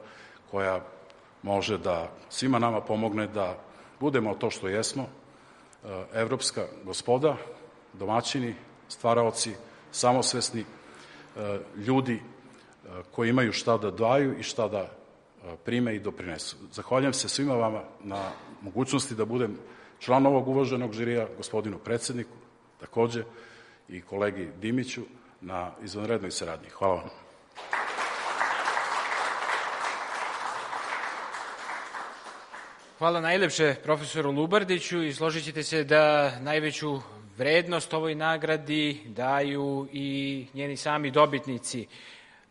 koja može da svima nama pomogne da budemo to što jesmo, evropska gospoda, domaćini, stvaraoci, samosvesni ljudi koji imaju šta da daju i šta da prime i doprinesu. Zahvaljujem se svima vama na mogućnosti da budem član ovog uvaženog žirija, gospodinu predsedniku, takođe i kolegi Dimiću na izvanrednoj saradnji. Hvala vam. Hvala najlepše profesoru Lubardiću i složit ćete se da najveću vrednost ovoj nagradi daju i njeni sami dobitnici.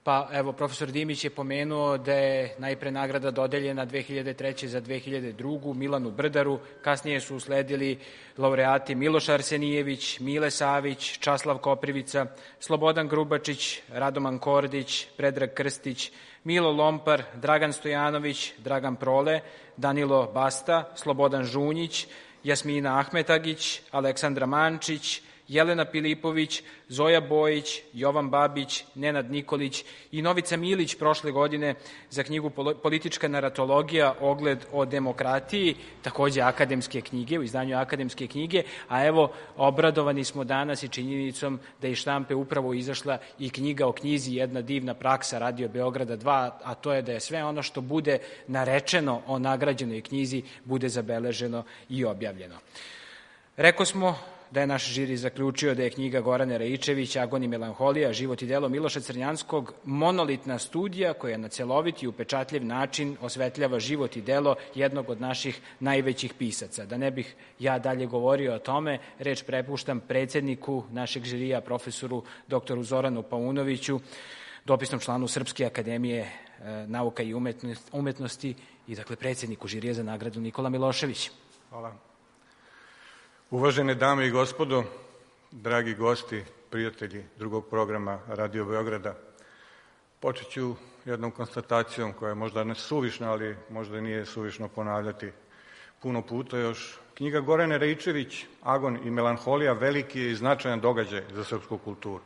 Pa evo, profesor Dimić je pomenuo da je najpre nagrada dodeljena 2003. za 2002. Milanu Brdaru, kasnije su usledili laureati Miloš Arsenijević, Mile Savić, Časlav Koprivica, Slobodan Grubačić, Radoman Kordić, Predrag Krstić, Milo Lompar, Dragan Stojanović, Dragan Prole, Danilo Basta, Slobodan Žunjić, Jasmina Ahmetagić, Aleksandra Mančić, Jelena Pilipović, Zoja Bojić, Jovan Babić, Nenad Nikolić i Novica Milić prošle godine za knjigu Politička naratologija, ogled o demokratiji, takođe akademske knjige, u izdanju akademske knjige, a evo, obradovani smo danas i činjenicom da iz štampe upravo izašla i knjiga o knjizi Jedna divna praksa Radio Beograda 2, a to je da je sve ono što bude narečeno o nagrađenoj knjizi bude zabeleženo i objavljeno. Rekao smo da je naš žiri zaključio da je knjiga Gorane Raičević Agon i melanholija, život i delo Miloša Crnjanskog monolitna studija koja na celovit i upečatljiv način osvetljava život i delo jednog od naših najvećih pisaca. Da ne bih ja dalje govorio o tome, reč prepuštam predsedniku našeg žirija, profesoru dr. Zoranu Paunoviću, dopisnom članu Srpske akademije nauka i umetnosti i dakle predsedniku žirija za nagradu Nikola Milošević. Hvala. Uvažene dame i gospodo, dragi gosti, prijatelji drugog programa Radio Beograda, počet ću jednom konstatacijom koja je možda ne suvišna, ali možda nije suvišno ponavljati puno puta još. Knjiga Gorane Raičević, Agon i melanholija, veliki je i značajan događaj za srpsku kulturu.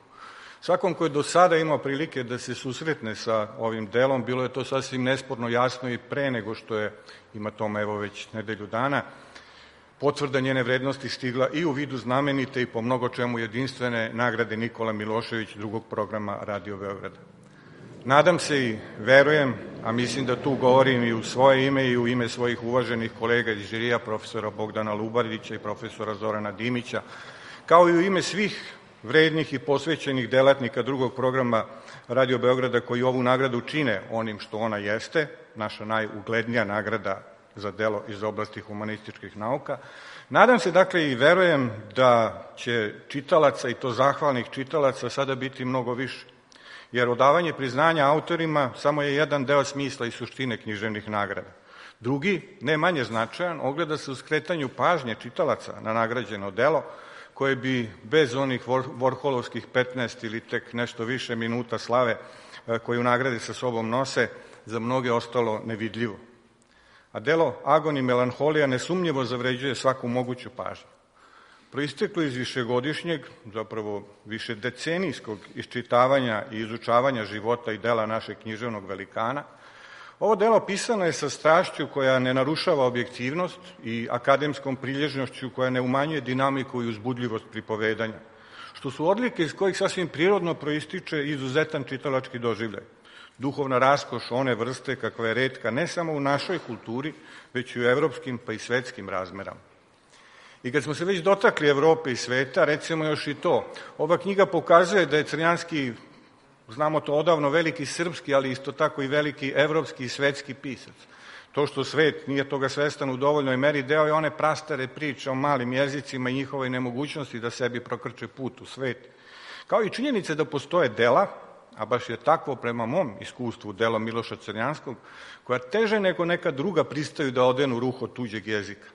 Svakom ko je do sada imao prilike da se susretne sa ovim delom, bilo je to sasvim nesporno jasno i pre nego što je, ima tome evo već nedelju dana, potvrda njene vrednosti stigla i u vidu znamenite i po mnogo čemu jedinstvene nagrade Nikola Milošević drugog programa Radio Beograda. Nadam se i verujem, a mislim da tu govorim i u svoje ime i u ime svojih uvaženih kolega iz žirija, profesora Bogdana Lubardića i profesora Zorana Dimića, kao i u ime svih vrednih i posvećenih delatnika drugog programa Radio Beograda koji ovu nagradu čine onim što ona jeste, naša najuglednija nagrada za delo iz oblasti humanističkih nauka. Nadam se, dakle, i verujem da će čitalaca, i to zahvalnih čitalaca, sada biti mnogo više, jer odavanje priznanja autorima samo je jedan deo smisla i suštine književnih nagrada. Drugi, ne manje značajan, ogleda se u skretanju pažnje čitalaca na nagrađeno delo, koje bi bez onih vorholovskih 15 ili tek nešto više minuta slave koju nagrade sa sobom nose, za mnoge ostalo nevidljivo. A delo Agon i melanholija nesumnjivo zavređuje svaku moguću pažnju. Proisteklo iz višegodišnjeg, zapravo višedecenijskog iščitavanja i izučavanja života i dela našeg književnog velikana, ovo delo pisano je sa strašću koja ne narušava objektivnost i akademskom prilježnošću koja ne umanjuje dinamiku i uzbudljivost pripovedanja, što su odlike iz kojih sasvim prirodno proističe izuzetan čitalački doživljaj. Duhovna raskoš one vrste kakva je retka ne samo u našoj kulturi, već i u evropskim pa i svetskim razmerama. I kad smo se već dotakli Evrope i sveta, recimo još i to. Ova knjiga pokazuje da je Crnjanski, znamo to odavno, veliki srpski, ali isto tako i veliki evropski i svetski pisac. To što svet nije toga svestan u dovoljnoj meri, deo je one prastare priče o malim jezicima i njihovoj nemogućnosti da sebi prokrče put u svet. Kao i činjenice da postoje dela, a baš je takvo prema mom iskustvu delo Miloša Crnjanskog, koja teže nego neka druga pristaju da odenu ruho tuđeg jezika.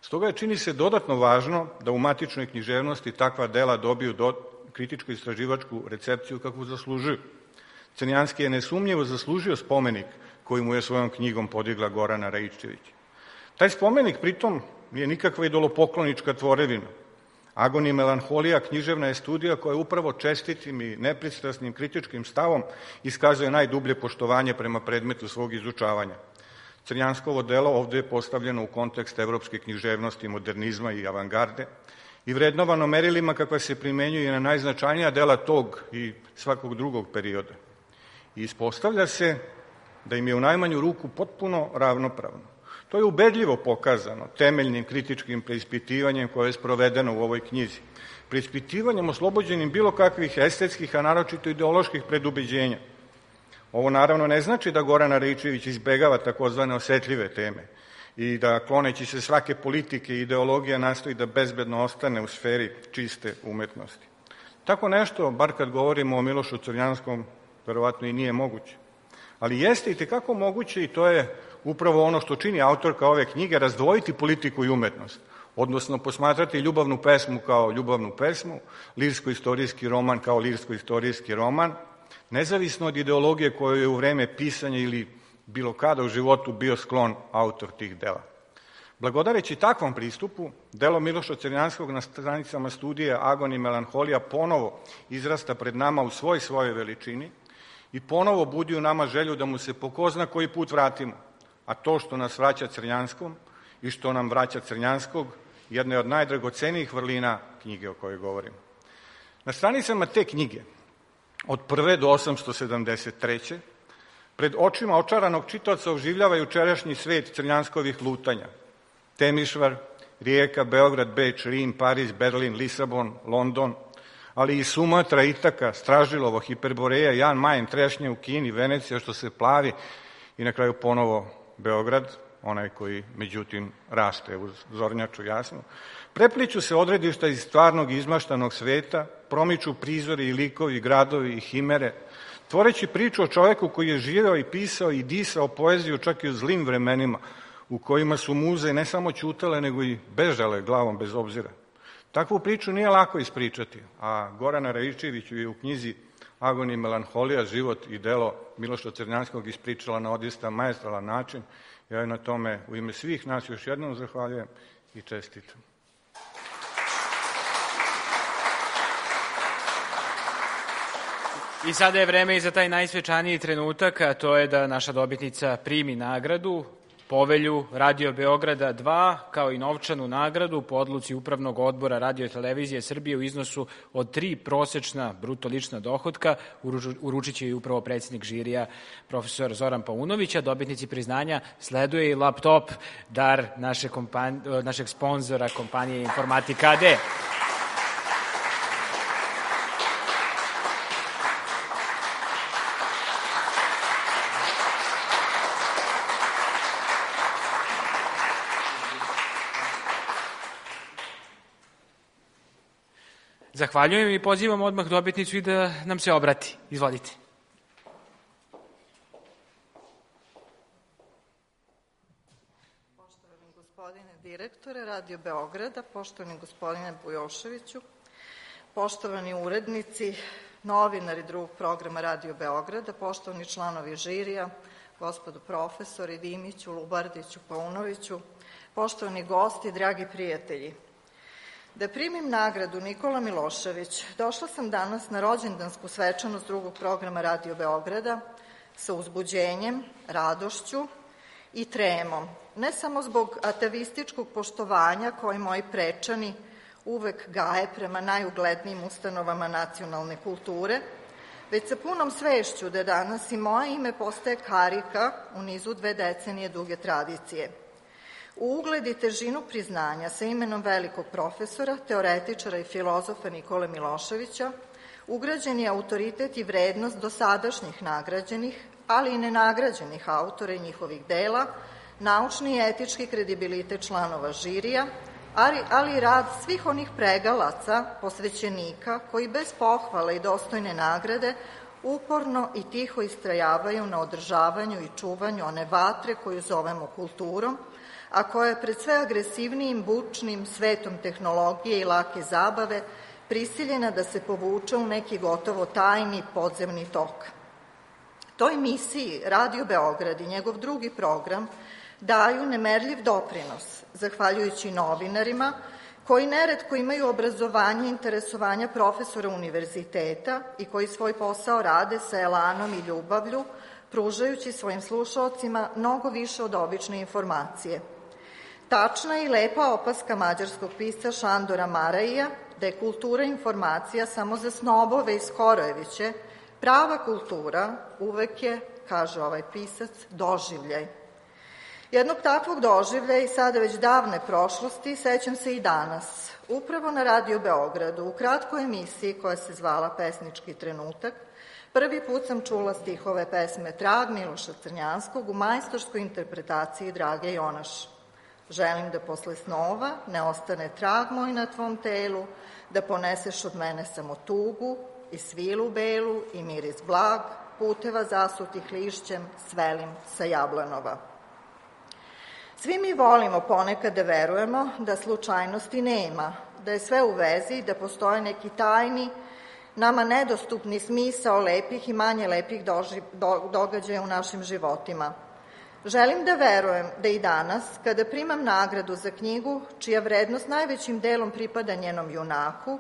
Stoga je, čini se, dodatno važno da u matičnoj književnosti takva dela dobiju kritičko-istraživačku recepciju kakvu zaslužuju. Crnjanski je nesumnjivo zaslužio spomenik koji mu je svojom knjigom podigla Gorana Raičević. Taj spomenik pritom nije nikakva idolopoklonička tvorevina. Agon i melanholija književna je studija koja upravo čestitim i nepristrasnim kritičkim stavom iskazuje najdublje poštovanje prema predmetu svog izučavanja. Crnjanskovo delo ovde je postavljeno u kontekst evropske književnosti, modernizma i avangarde i vrednovano merilima kakva se primenjuje na najznačajnija dela tog i svakog drugog perioda. I ispostavlja se da im je u najmanju ruku potpuno ravnopravno. To je ubedljivo pokazano temeljnim kritičkim preispitivanjem koje je sprovedeno u ovoj knjizi. Preispitivanjem oslobođenim bilo kakvih estetskih, a naročito ideoloških predubeđenja. Ovo naravno ne znači da Gorana Raičević izbegava takozvane osetljive teme i da, kloneći se svake politike i ideologija, nastoji da bezbedno ostane u sferi čiste umetnosti. Tako nešto, bar kad govorimo o Milošu Crnjanskom, verovatno i nije moguće. Ali jeste i tekako moguće, i to je upravo ono što čini autorka ove knjige, razdvojiti politiku i umetnost, odnosno posmatrati ljubavnu pesmu kao ljubavnu pesmu, lirsko-istorijski roman kao lirsko-istorijski roman, nezavisno od ideologije kojoj je u vreme pisanja ili bilo kada u životu bio sklon autor tih dela. Blagodareći takvom pristupu, delo Miloša Crnjanskog na stranicama studije Agon i melanholija ponovo izrasta pred nama u svojoj veličini i ponovo budi u nama želju da mu se po ko zna koji put vratimo, a to što nas vraća Crnjanskom i što nam vraća Crnjanskog jedna je od najdragocenijih vrlina knjige o kojoj govorimo. Na stranicama te knjige, od 1. do 873. pred očima očaranog čitaoca oživljava jučerašnji svet Crnjanskovih lutanja. Temišvar, Rijeka, Beograd, Beč, Rim, Pariz, Berlin, Lisabon, London, ali i Sumatra, Itaka, Stražilovo, Hiperboreja, Jan Mayen, Trešnje u Kini, Venecija što se plavi i na kraju ponovo Beograd, onaj koji međutim raste uz zornjaču jasnu. Prepliču se odredišta iz stvarnog izmaštanog sveta, promiču prizori i likovi, gradovi i himere, tvoreći priču o čoveku koji je živeo i pisao i disao poeziju čak i u zlim vremenima, u kojima su muze ne samo ćutale, nego i bežale glavom bez obzira. Takvu priču nije lako ispričati, a Gorana Raičević je u knjizi Agon i melanholija, život i delo Miloša Crnjanskog ispričala na odista maestralan način. Ja na tome u ime svih nas još jednom zahvaljujem i čestitam. I sada je vreme i za taj najsvečaniji trenutak, a to je da naša dobitnica primi nagradu, povelju Radio Beograda 2, kao i novčanu nagradu po odluci Upravnog odbora Radio i Televizije Srbije u iznosu od 3 prosečna bruto lična dohotka. Uručit će i upravo predsjednik žirija, profesor Zoran Paunović, a dobitnici priznanja sleduje i laptop, dar našeg sponzora kompanije Informatika AD. Zahvaljujem i pozivam odmah dobitnicu i da nam se obrati. Izvolite. Poštovani gospodine direktore Radio Beograda, poštovani gospodine Bujoševiću, poštovani urednici, novinari drugog programa Radio Beograda, poštovani članovi žirija, gospodo profesori Dimiću, Lubardiću, Paunoviću, poštovani gosti, dragi prijatelji. Da primim nagradu Nikola Milošević, došla sam danas na rođendansku svečanost drugog programa Radio Beograda sa uzbuđenjem, radošću i tremom, ne samo zbog atavističkog poštovanja koje moji prečani uvek gaje prema najuglednijim ustanovama nacionalne kulture, već sa punom svešću da danas i moje ime postaje karika u nizu 2 decenije duge tradicije. U ugled i težinu priznanja sa imenom velikog profesora, teoretičara i filozofa Nikole Miloševića ugrađen je autoritet i vrednost dosadašnjih nagrađenih, ali i nenagrađenih autora i njihovih dela, naučni i etički kredibilitet članova žirija, ali i rad svih onih pregalaca, posvećenika koji bez pohvale i dostojne nagrade uporno i tiho istrajavaju na održavanju i čuvanju one vatre koju zovemo kulturom, a koja je pred sve agresivnijim, bučnim svetom tehnologije i lake zabave prisiljena da se povuče u neki gotovo tajni podzemni tok. Toj misiji Radio Beograd i njegov drugi program daju nemerljiv doprinos, zahvaljujući novinarima koji neretko imaju obrazovanje i interesovanja profesora univerziteta i koji svoj posao rade sa elanom i ljubavlju, pružajući svojim slušaocima mnogo više od obične informacije. Tačna i lepa opaska mađarskog pisca Šandora Maraija da je kultura informacija samo za snobove i skorojeviće, prava kultura uvek je, kaže ovaj pisac, doživljaj. Jednog takvog doživljaja i sada već davne prošlosti sećam se i danas. Upravo na Radio Beogradu, u kratkoj emisiji koja se zvala Pesnički trenutak, prvi put sam čula stihove pesme Trag Miloša Crnjanskog u majstorskoj interpretaciji Drage Jonaš. Želim da posle snova ne ostane trag moj na tvom telu, da poneseš od mene samo tugu i svilu belu i miris blag, puteva zasutih lišćem, svelim sa Jablanova. Svi mi volimo ponekad da verujemo da slučajnosti nema, da je sve u vezi i da postoje neki tajni, nama nedostupni smisao lepih i manje lepih događaja u našim životima. Želim da verujem da i danas, kada primam nagradu za knjigu, čija vrednost najvećim delom pripada njenom junaku,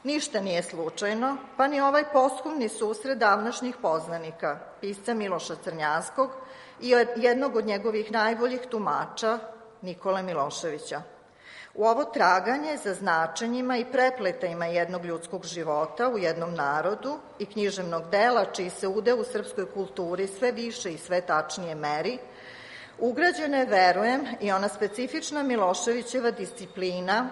ništa nije slučajno, pa ni ovaj posthumni susret davnašnjih poznanika, pisca Miloša Crnjanskog i jednog od njegovih najboljih tumača, Nikole Miloševića. U ovo traganje za značenjima i prepletajima jednog ljudskog života u jednom narodu i književnog dela, čiji se udeo u srpskoj kulturi sve više i sve tačnije meri, ugrađena je, verujem, i ona specifična Miloševićeva disciplina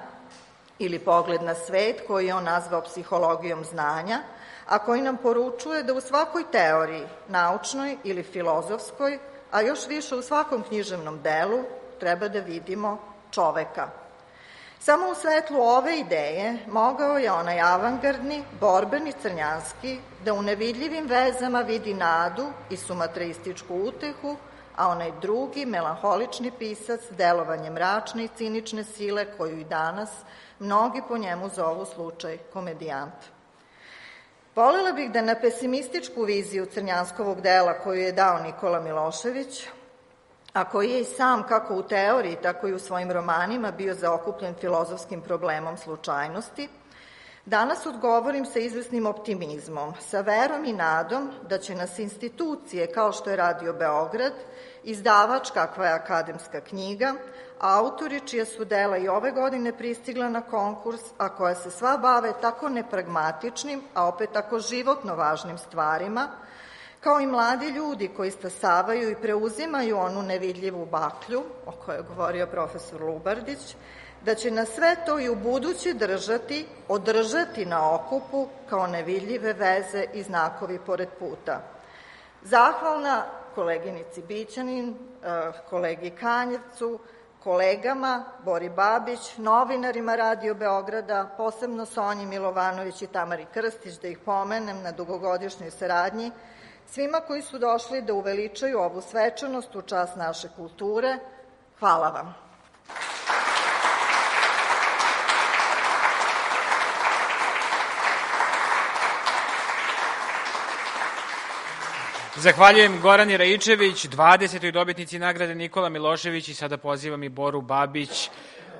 ili pogled na svet, koji je on nazvao psihologijom znanja, a koji nam poručuje da u svakoj teoriji, naučnoj ili filozofskoj, a još više u svakom književnom delu, treba da vidimo čoveka. Samo u svetlu ove ideje mogao je onaj avangardni, borbeni Crnjanski da u nevidljivim vezama vidi nadu i sumatreističku utehu, a onaj drugi, melanholični pisac, delovanje mračne i cinične sile koju i danas mnogi po njemu zovu slučaj komedijant. Volela bih da na pesimističku viziju Crnjanskovog dela koju je dao Nikola Milošević, a koji je i sam, kako u teoriji, tako i u svojim romanima, bio zaokupljen filozofskim problemom slučajnosti, danas odgovorim sa izvesnim optimizmom, sa verom i nadom da će nas institucije kao što je Radio Beograd, izdavač kakva je Akademska knjiga, autori čija su dela i ove godine pristigla na konkurs, a koja se sva bave tako nepragmatičnim, a opet tako životno važnim stvarima, kao i mladi ljudi koji stasavaju i preuzimaju onu nevidljivu baklju, o kojoj je govorio profesor Lubardić, da će nas sve to i u buduće održati na okupu kao nevidljive veze i znakovi pored puta. Zahvalna koleginici Bićanin, kolegi Kanjevcu, kolegama Bori Babić, novinarima Radio Beograda, posebno Sonji Milovanović i Tamari Krstić, da ih pomenem na dugogodišnjoj saradnji, svima koji su došli da uveličaju ovu svečanost u čast naše kulture. Hvala vam. Zahvaljujem Gorani Raičević, 20. dobitnici nagrade Nikola Milošević, i sada pozivam i Boru Babić,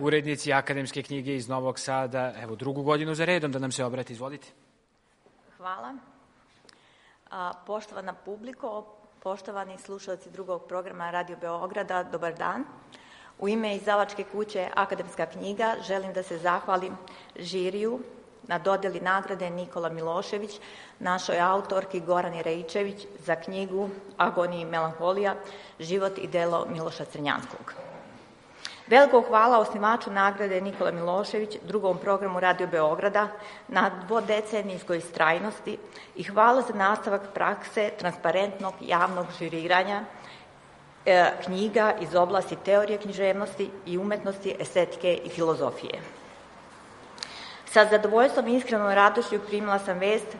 urednici Akademske knjige iz Novog Sada, evo drugu godinu za redom da nam se obrati. Izvolite. Hvala. Poštovana publiko, poštovani slušalci drugog programa Radio Beograda, dobar dan. U ime izdavačke kuće Akademska knjiga želim da se zahvalim žiriju na dodeli nagrade Nikola Milošević, našoj autorki Gorani Raičević za knjigu Agonija i melanholija, život i delo Miloša Crnjanskog. Veliko hvala osnivaču nagrade Nikola Milošević, drugom programu Radio Beograda, na dvodecenijskoj istrajnosti i hvala za nastavak prakse transparentnog javnog žiriranja knjiga iz oblasti teorije književnosti i umetnosti, estetike i filozofije. Sa zadovoljstvom i iskrenom radošću primila sam vest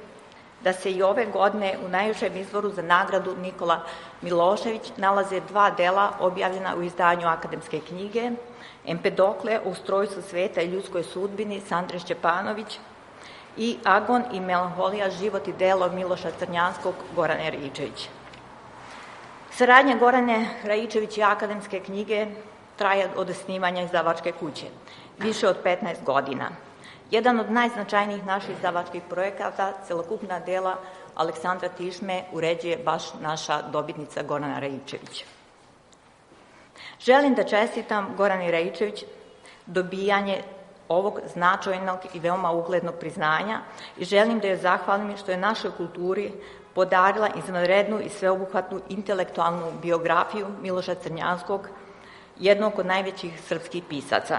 da se i ove godine u najvišem izboru za nagradu Nikola Milošević nalaze dva dela objavljena u izdanju Akademske knjige, Empedokle o ustrojstvu sveta i ljudskoj sudbini Sandre Šćepanović i Agon i melanholija, život i delo Miloša Crnjanskog Gorane Raičević. Saradnja Gorane Raičević i Akademske knjige traje od osnivanja izdavačke kuće, više od 15 godina. Jedan od najznačajnijih naših izdavačkih projekata, celokupna dela Aleksandra Tišme, uređuje baš naša dobitnica Gorana Raičević. Želim da čestitam Gorani Raičević dobijanje ovog značajnog i veoma uglednog priznanja i želim da joj zahvalim što je našoj kulturi podarila izvanrednu i sveobuhvatnu intelektualnu biografiju Miloša Crnjanskog, jednog od najvećih srpskih pisaca.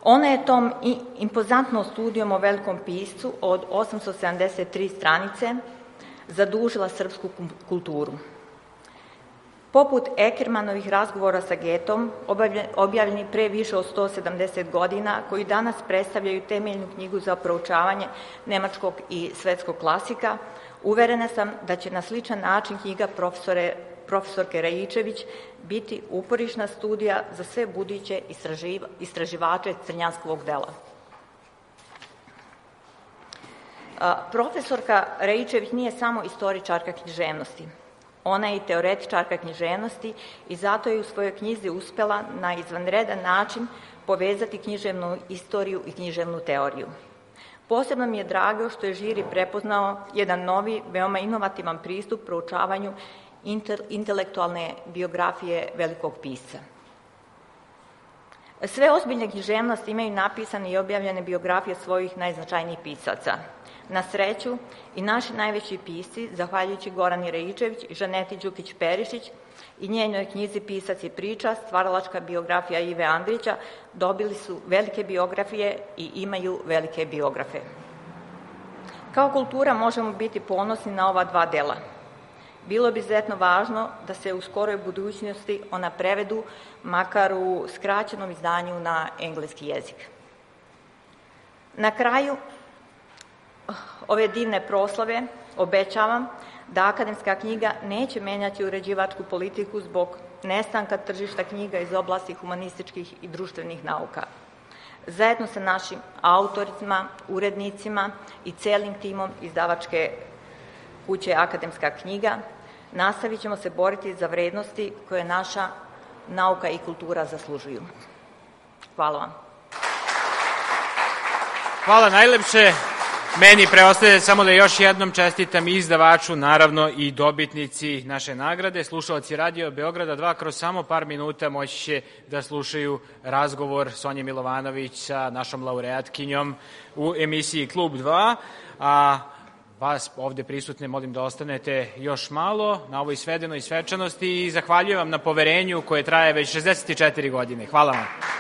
Ona je tom impozantnom studijom o velikom piscu od 873 stranice zadužila srpsku kulturu. Poput Ekermanovih razgovora sa Getom, objavljeni pre više od 170 godina, koji danas predstavljaju temeljnu knjigu za proučavanje nemačkog i svetskog klasika, uverena sam da će na sličan način knjiga profesorke Raičević biti uporišna studija za sve buduće istraživače Crnjanskovog dela. Profesorka Raičević nije samo istoričarka književnosti. Ona je i teoretičarka književnosti i zato je u svojoj knjizi uspela na izvanredan način povezati književnu istoriju i književnu teoriju. Posebno mi je drago što je žiri prepoznao jedan novi, veoma inovativan pristup proučavanju intelektualne biografije velikog pisca. Sve ozbiljne književnosti imaju napisane i objavljene biografije svojih najznačajnijih pisaca. Na sreću, i naši najveći pisci, zahvaljujući Gorani Raičević i Žaneti Đukić-Perišić i njenoj knjizi Pisac i priča, stvaralačka biografija Ive Andrića, dobili su velike biografije i imaju velike biografe. Kao kultura možemo biti ponosni na ova dva dela. Bilo bi izuzetno važno da se u skoroj budućnosti ona prevedu, makar u skraćenom izdanju na engleski jezik. Na kraju ove divne proslave obećavam da akademska knjiga neće menjati uređivačku politiku zbog nestanka tržišta knjiga iz oblasti humanističkih i društvenih nauka. Zajedno sa našim autorima, urednicima i celim timom izdavačke kuće Akademska knjiga nastavit ćemo se boriti za vrednosti koje naša nauka i kultura zaslužuju. Hvala vam. Hvala najlepše. Meni preostaje samo da još jednom čestitam izdavaču, naravno i dobitnici naše nagrade. Slušalci Radio Beograda 2 kroz samo par minuta moći će da slušaju razgovor Sonje Milovanović sa našom laureatkinjom u emisiji Klub 2, a vas ovde prisutne molim da ostanete još malo na ovoj svedenoj svečanosti i zahvaljujem vam na poverenju koje traje već 64 godine. Hvala vam.